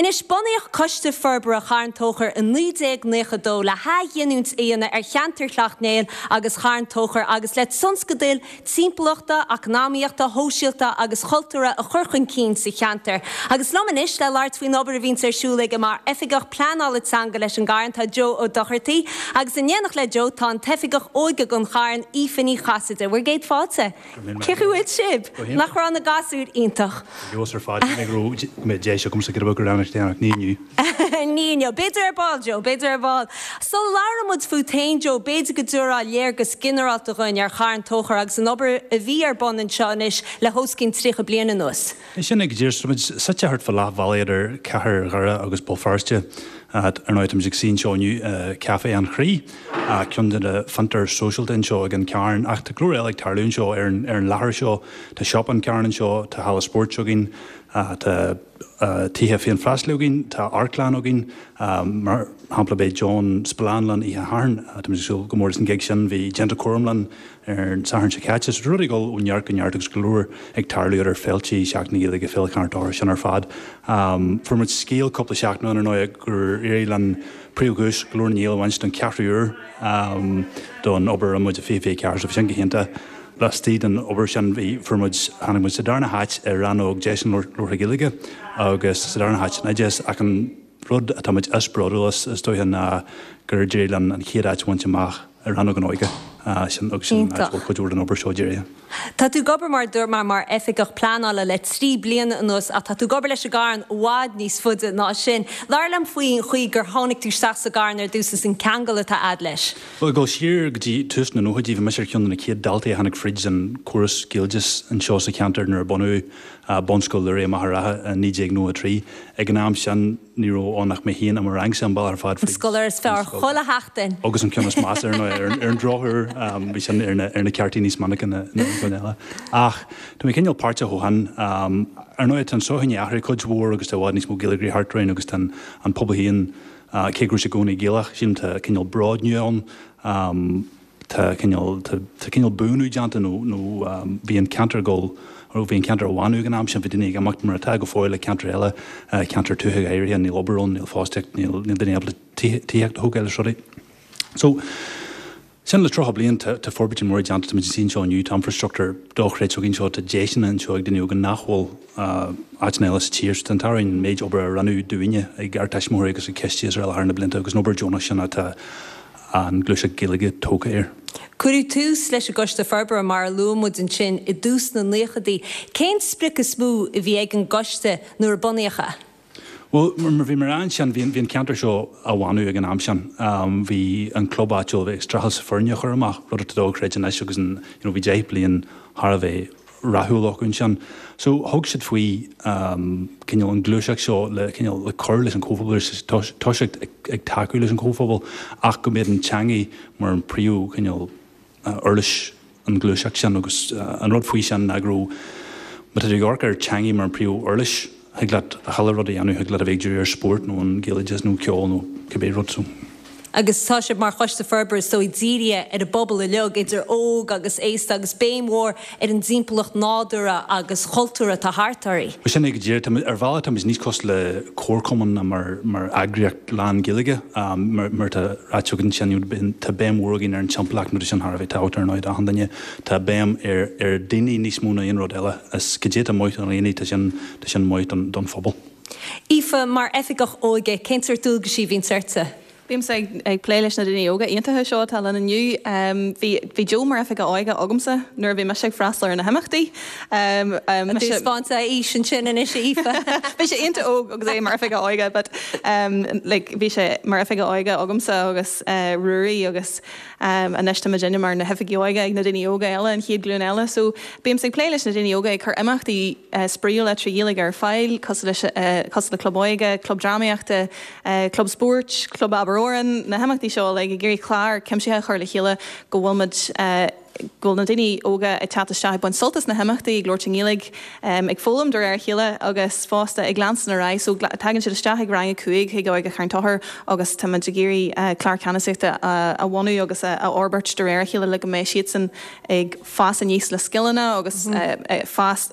Anois, bunaíodh Coiste Forbartha Charn Tóchair i 1992 le hathghiniúint a dhéanamh ar cheantar Shleacht Néill agus Charn Tóchair agus le tionscadail timpeallachta, eacnamaíochta, shóisialta agus chultúrtha a chur chun cinn sa cheantar. Agus liom anois le labhairt faoin obair a bhíonns ar siúl aige mar Oifigeach Pleanála Teanga leis an gCarn tá Joe Ó Dochartaigh agus in éineacht le Joe tá an tOifigeach Óige don Charn, Aoife Ní Chasaide. Bhur gcéad fáilte. Cén chaoi a bhfuil sibh? Nach raibh na gasúir iontach? Ar feabhas ar fad. Shíl mé go raibh go mbeadh deis agamsa giota beag a dhéanamh ach ní inniu. Ní inniu. B'fhéidir ar ball, Joe, b'fhéidir ar ball. Sula labhrann muid fút féin, Joe, b'fhéidir go dtabharfá léargas ginearálta dhuinn ar Charn Tóchair agus an obair a bhí ar bun anseo anois le hos cionn 30 bliain anuas. Sin é go díreach. Tá muid suite thart fá leath bhealaigh idir cathair Dhoire agus Béal Feirste. Ar ndóigh, tá muid ag suí anseo inniu i Café an Chroí, ceann de na fiontair sóisialta anseo ag an Charn. Ach tá go leor eile ag tarlú anseo ar an láthair seo. Tá Siopa an Charn anseo, tá halla spóirt againn, tá tithe féinfhreastail againn, tá amharclann againn. Mar shampla, beidh John Spillane linn oíche Shathairn. Tá muid ag súil go mór leis an gig sin. Bhí Déanta Cúram linn ar an Satharn seo caite. So tá rudaí ag dul ó neart go neart agus go leor ag tarlú idir féiltí, Seachtain na Gaeilge, Féile Charn Tóchair, sin ar fad. Fuair muid scéal cúpla seachtain ó shin ar ndóigh gur éirigh linn príomhdhuais Ghlór na nGael a bhaint don cheathrú uair don obair a rinne muid i 2024 so bhí sin go hiontach. Laistigh den obair sin bhí, fuair muid, tháinig muid sa darna háit i rannóg Deiseanna Labhartha Gaeilge agus sa darna háit san oideas ach an rud atá muid is bródúil as is dóiche ná gur d'éirigh linn an chéad áit a bhaint amach i rannóg an óige sin agus sin an áit a bhfuil cuid mhór den obair seo dírithe. Tá tú ag obair mar a dúirt mé mar oifigeach pleanála le 3 bliana anuas ach tá tú ag obair leis an gCarn i bhfad níos faide ná sin. Labhair liom faoin chaoi gur tháinig tú isteach sa gCarn ar dtús is an ceangal atá a'd leis. Bhuel, ag dul siar go dtí tús na nóchaidí, bhí mise ar cheann de na chéad daltaí a tháinig fríd an córas Gaeloideachais anseo sa cheantar nuair a bunaíodh Bunscoil Lúraí i Machaire Rátha i 1993. Ag an am sin, ní raibh ann ach mé féin i mo rangsa an bealach ar fad fríd an scoláire is fearr chuile sheachtain. Agus an ceann is measa, ar ndóigh, ar an drochuair, bhí sin ar na ceártaí níos minice ná an ceann eile. Ach tá mé cineál páirteach ó shin. Ar ndóigh, tá an tsochaí i ndiaidh athrú cuid mhór agus tá i bhfad níos mó Gaeilgeoirí thart orainn agus tá an pobal féin Cé go raibh sé i gcónaí Gaelach, sílim tá cineál bród nua ann, tá cineál, tá cineál buanú déanta nó, nó bhí an ceantar ag dul, nó bhí an ceantar á bhánú ag an am sin, bhí daoine ag imeacht mar atá go fóill i ceantair eile, ceantair tuaithe go háirithe, níl obair ann, níl fostaíocht, níl, níl daoine ábalta tithíocht a thógáil is rudaí. So. Sin le 30 bliain, tá forbairtí móra déanta, tá muid ag suí anseo inniu, tá infrastruchtúr dochreidte againn anseo, tá deiseanna anseo ag daoine óga nach bhfuil áiteanna eile sa tír. So tá an t-ádh orainn an méid obair a rinneadh dúinne ag ár dtuismitheoirí agus ag coistí is araile thar na blianta agus an obair deonach sin atá an ghluaiseacht Ghaeilge tógtha air. Cuireadh tús leis an gCoiste Forbartha, mar a luaigh muid ansin, i dtús na naochadaí. Cén sprioc is mó a bhí ag an gcoiste nuair a bunaíodh é? Bhuel, mar bhí mé a rá ansin, bhí an ceantar seo á bhánú ag an am sin. Bhí an club áitiúil ag streachailt foirne a chur amach, rud atá dochreidte anois agus an, you know, bhí 10 bliain thar a bheith rathúil acu ansin. So thug siad faoi cineál an ghluaiseacht seo le cineál le cur leis an chomhphobal, toiseacht ag tacú leis an chomhphobal ach go mbeadh an teangaidh mar an príomh chineál uirlis an ghluaiseacht sin agus an rud faoi sin ná go raibh, má tá tú ag amharc ar teangaidh mar an príomh uirlis, thig leat chuile rud a dhéanamh, thig leat a bheith ag díriú ar spórt nó an Gaeloideachas nó ceol nó cibé rud so. Agus tá sibh mar Choiste Forbartha is dóigh dírithe ar an bpobal uilig, idir óg agus aosta agus béim mhór ar an dtimpeallacht nádúrtha agus chultúrtha atá thart oraibh. Bhuel sin é go díreach. Tá, ar bhealach tá muid níos cosúil le comharchumann ná mar, mar eagraíocht lán-Ghaeilge. Mar atá ráite agat ansin, you know, tá béim mhór againn ar an timpeallacht nó tá sin thar a bheith tábhachtach ar ndóigh d'achan duine. Tá béim ar, ar daoine níos mó ná aon rud eile. Is cad é atá maith do dhaoine, tá sin, tá sin maith don, don phobal. Aoife, mar Oifigeach Óige, cén sórt dualgaisí a bhíonns ortsa? Bímse ag plé leis na daoine óga iontacha seo atá linn inniu. Bhí bhí Joe mar Oifigeach Óige agamsa nuair a bhí mise ag freastal ar na himeachtaí. Tá tú ag 'spáint aois ansin anois, a Aoife. Bhí sé iontach óg agus é mar Oifigeach Óige but like bhí sé mar Oifigeach Óige agamsa agus Ruairí agus anois tá muidinne mar na hOifigigh Óige ag na daoine óga eile, an chéad ghlúin eile. So bímse ag plé leis na daoine óga ag cur imeachtaí spraíúla trí Ghaeilge ar fáil cosúil leis cosúil le Club Óige, Club Drámaíochta, Club Spóirt, Club Abair. fhoireann, na himeachtaí seo uilig, ag iarraidh clár cuimsitheach a chur le chéile go bhfuil muid, go bhfuil na daoine óga ag teacht isteach ag baint sult as na himeachtaí, ag labhairt i nGaeilge, ag foghlaim de réir a chéile agus fosta ag leanstan ar aghaidh. So tagann siad isteach ag rang a 5 chuig Óige Charn Tóchair agus tá muid ag iarraidh clár ceannasaíochta a bhunú agus a fhorbairt de réir a chéile le go mbeidh siadsan ag fás aníos le scileanna agus fás,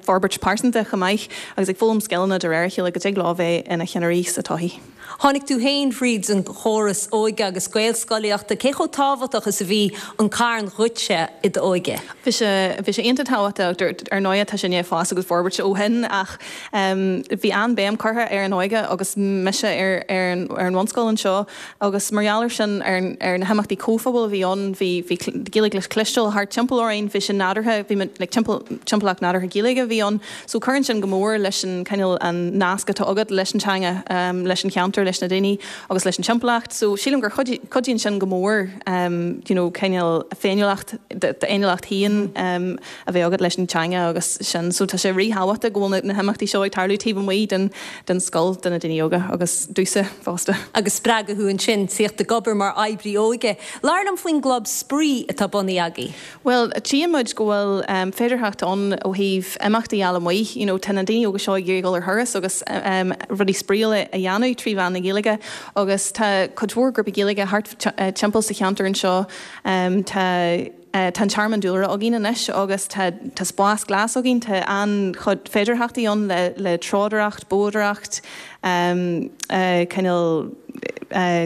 forbairt pearsanta chomh maith agus ag foghlaim scileanna de réir a chéile go dtig leo bheith ina cheannairí sa todhchaí. Tháinig tú féin thríd an chóras óige agus Gaelscolaíochta. Cé chomh tábhachtach is a bhí an Carn dhuitse i d'óige? Bhí sé, bhí sé iontach tábhachtach. Ar ndóigh tá sé i ndiaidh fás agus forbairt ó shin ach bhí an-bhéim curtha ar an óige agus mise ar ar an ar an bhunscoil anseo agus mar gheall air sin ar ar na himeachtaí comhphobail a bhí ann bhí bhí Gaeilge le cloisteáil thart timpeall orainn, bhí sé nádúrtha, bhí like timpeall timpeallacht nádúrtha Gaeilge a bhí ann. So cuireann sin go mór leis an cineál an nasc atá agat leis an teanga, leis an cheantar, leis na daoine agus leis an timpeallacht. So sílim gur cuidíonn sin go mór you know cineál féiniúlacht, d'fhéiniúlacht féin a bheith agat leis an teanga agus sin. So tá sé ríthábhachtach go bhfuil na himeachtaí seo ag tarlú taobh amuigh den den scoil do na daoine óga agus domhsa fosta. Agus spreagadh thú ansin tíocht ag obair mar oibrí óige. Labhair liom faoin gclub spraoi atá bunaithe agaibh. Bhuel, tchíonn muid go bhfuil féidearthacht ann ó thaobh imeachtaí allamuigh. You know, tá na daoine óga seo ag iarraidh dul ar thuras agus rudaí spraíúla a dhéanamh trí mheán na Gaeilge agus tá cuid mhór grúpaí Gaeilge thart timpeall sa cheantar anseo. Tá tá an Tearmann Dúlra againn anois agus tá tá spás glas againn, tá an-chuid féidearthachtaí ann le le treodóireacht, boghdóireacht, cineál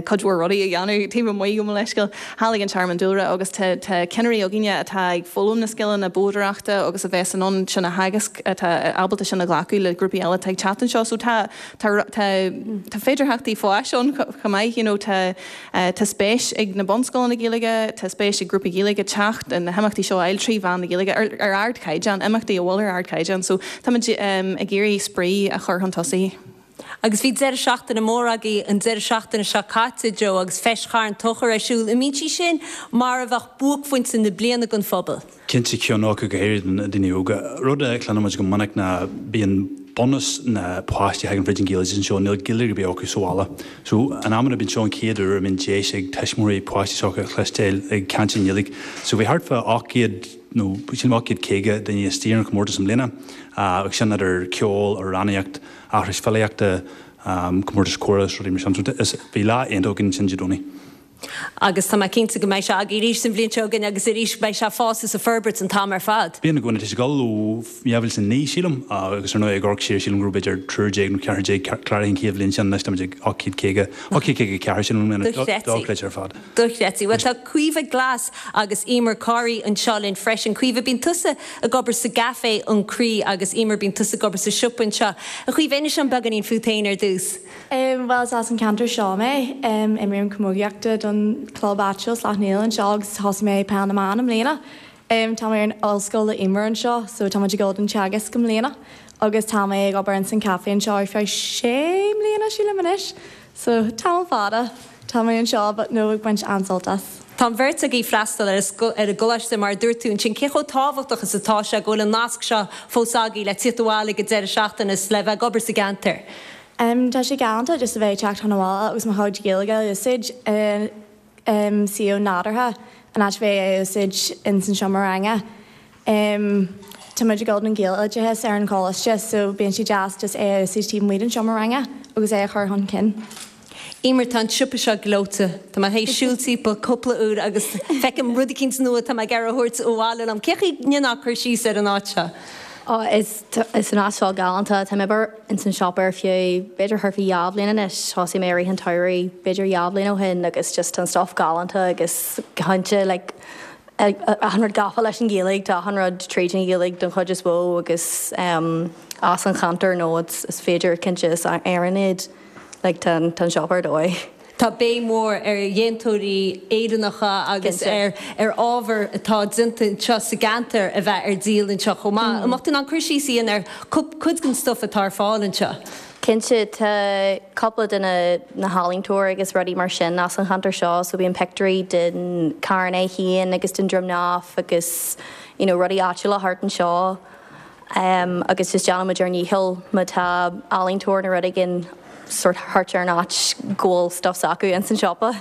cuid mhór rudaí a dhéanamh taobh amuigh, gabh mo leithscéal, thall ag an Tearmann Dúlra agus tá tá cinnirí againne atá ag foghlaim na scileanna boghdóireachta agus a bheas in ann sin a theagasc, atá ábalta sin a ghlacadh le grúpaí eile atá ag teacht anseo. So tá tá tá tá féidearthachtaí fáis ann chomh maith, you know, tá tá spéis ag na bunscoileanna Gaeilge, tá spéis ag grúpaí Gaeilge teacht na himeachtaí seo a fháil trí mheán na Gaeilge ar ar ardchaighdeán, imeachtaí a bhfuil ar ardchaighdeán. So táimid ag iarraidh spraoi a chur chun tosaigh. Agus bhí deireadh seachtaine mór agaibh an deireadh seachtaine seo caite, Joe, agus Feis Charn Tóchair ar siúl. An mbíonn sí sin mar a bheadh buaicphointe na bliana don phobal? Cinnte, ceann acu, go háirithe do na daoine óga. Rud a chluinimid go minic ná bíonn bunús na páistí a thagann fríd an Ghaeloideachas anseo, níl Gaeilge ar bith acu sa bhaile. So, in amanna bíonn seo an chéad uair a mbíonn deis ag tuismitheoirí páistí s'acu a chloisteáil ag caint i nGaeilge. So bhí thart fá 800 nó sílim 850 duine istigh ar an chomórtas i mbliana agus sin idir ceol, amhránaíocht, aithris filíochta, comórtas comhrá is rudaí mar sin. So is, bhí lá iontach againn ansin Dé Domhnaigh. Agus tá mé cinnte go mbeidh sé agaibh arís an bhliain seo chugainn agus arís beidh sé ag fás is ag forbairt an t-am ar fad. Bíonn i gcónaí, tá sé ag dul ó 2009 sílim agus ar ndóigh ag amharc siar sílim go raibh b'fhéidir triúr déag nó ceathrar déag cláraithe an chéad bhliain sin, anois táimid ag 850, 854 sílim i mbliana, dochreidte ar fad. Dochreidte. Bhuel tá Caoimhe Glas agus Emer Corry anseo linn freisin. Caoimhe, bíonn tusa ag obair sa gCaifé An Croí agus Emer bíonn tusa ag obair sa siopa anseo. A Chaoimhe, inis dom beagáinín fút féin ar dtús. Bhuel is as an ceantar seo mé. Imrím camógaíochta don chlub áitiúil Sleacht Néill anseo agus thosaigh mé peil na mban i mbliana. Tá mé ar an ollscoil le Emer anseo so tá muid ag dul don teagasc i mbliana agus tá mé ag obair ins an caife anseo ar feadh sé mbliana sílim anois. So tamall fada tá mé anseo but no ag baint an-sult as. Tá an bheirt agaibh ag freastal ar ar an gcoláiste mar a dúirt tú ansin. Cé chomh tábhachtach is atá sé go bhfuil an nasc seo fós agaibh le tíocht abhaile ag an deireadh seachtaine is le bheith ag obair sa gceantar? Tá sé galánta just a bheith ag teacht chun abhaile agus mo chuid Gaeilge a úsáid i suíomh nádúrtha in áit bheith á úsáid ins an seomra ranga. Tá muid ag dul don Ghaeloideachas ar an choláiste so bíonn sé deas just é a úsáid taobh amuigh den seomra ranga agus é a chur chun cinn. Emer, tá an siopa seo gleoite. Tá mé théis siúl timpeall cúpla uair agus feicim rud eicínt nua atá mé ag iarraidh a thabhairt abhaile liom. Cé chaoi a ndéanfá cur síos ar an áit seo? Ó, is is an áit seo galánta. Tá mé ag obair ins an siopa ar feadh b'fhéidir thart fá dhá bhliain anois. Thosaigh mé i rith an tsamhraidh b'fhéidir dhá bhliain ó shin agus just tá an stuff galánta agus go cinnte like achan rud gafa leis an Ghaeilge, tá achan rud tríd an Ghaeilge don chuid is mhó agus as an cheantar nó is féidir cinnte is Éireann iad like tá an siopa ar dóigh. Tá béim mhór ar dhéantóirí Éireannacha agus ar ar ábhar atá déanta anseo sa gceantar a bheith ar díol anseo chomh maith. An mbeadh tú in ann cur síos a dhéanamh ar cuid den stuif atá ar fáil anseo? Cinnte, tá cúpla de na na healaíontóirí agus rudaí mar sin as an cheantar seo so bíonn pictiúirí den Carn é féin agus den Droim nDamh agus you know rudaí áitiúla thart anseo agus just déanann muid ár ndícheall má tá ealaíontóir nó rud éigin. sort thart ar an áit go bhfuil stuff s'acu ins an siopa.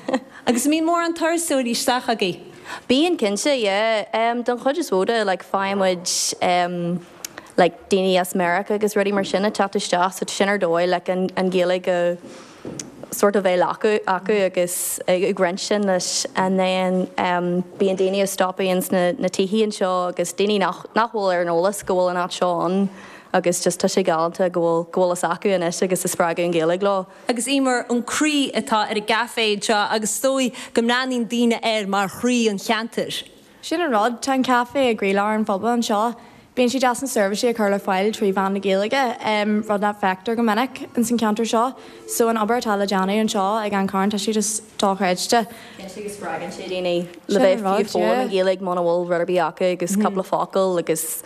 Agus an mbíonn mórán turasóirí isteach agaibh? Bíonn cinnte, yeah. Don chuid is mó de, like faigheann muid like daoine as Meiriceá agus rudaí mar sin ag teacht isteach so sin ar dóigh like an an Ghaeilge a sort of bheith acu acu agus ag roinnt sin leis and then bíonn daoine ag stopadh ins na na tithe anseo agus daoine nach nach bhfuil ar an eolas go bhfuil an áit seo ann agus just tá sé galánta go bhfuil go bhfuil fhios acu anois agus ag spreagadh an Ghaeilge leo. Agus Emer, an croí atá ar an gcaifé anseo agus is dóigh go mbreathnaíonn daoine air mar chroí an cheantair. Sin an rud, tá an caifé i gcroílár an phobail anseo. Bíonn sé deas na seirbhísí a chur le fáil trí mheán na Gaeilge, rud nach bhfeictear go minic ins an cheantar seo. So an obair atá le déanamh anseo ag An Carn, tá sé just dochreidte. Cinnte go spreagann sé daoine le bheith fiú foghlaim an Ghaeilge muna bhfuil rud ar bith acu agus cúpla focal agus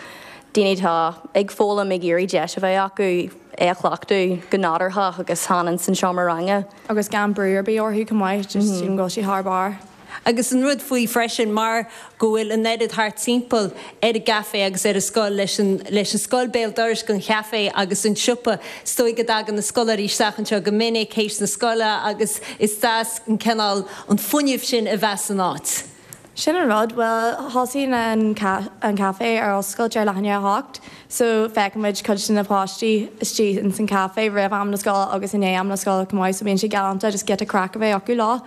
daoine atá ag foghlaim ag iarraidh deis a bheith acu é a chleachtadh go nádúrtha agus chan ins an seomra ranga. Agus gan brú ar bith orthu chomh maith, just sílim go bhfuil sé thar barr. Agus an rud faoi freisin, mar go bhfuil an oiread thart timpeall ar an gcaifé agus ar an scoil, leis an leis an scoil béal dorais den chaifé agus an siopa, is dóigh go dtagann na scoláirí isteach anseo go minic théis na scoile agus is deas an cineál, an fuinneamh sin a bheith san áit. Sin an rud, bhuel, thosaigh an an caifé ar oscailt ar leath i ndiaidh a hocht, so feiceann muid cuid de na páistí istigh ins an caifé roimh am na scoile agus i ndiaidh am na scoile chomh maith, so bíonn sé galánta just giota craic a bheith acu leo.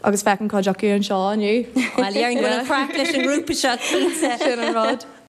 Agus feicim cuid acu anseo inniu. Bhuel, déarfainn go bhfuil an chraic leis an ngrúpa seo, cinnte. Sin an rud.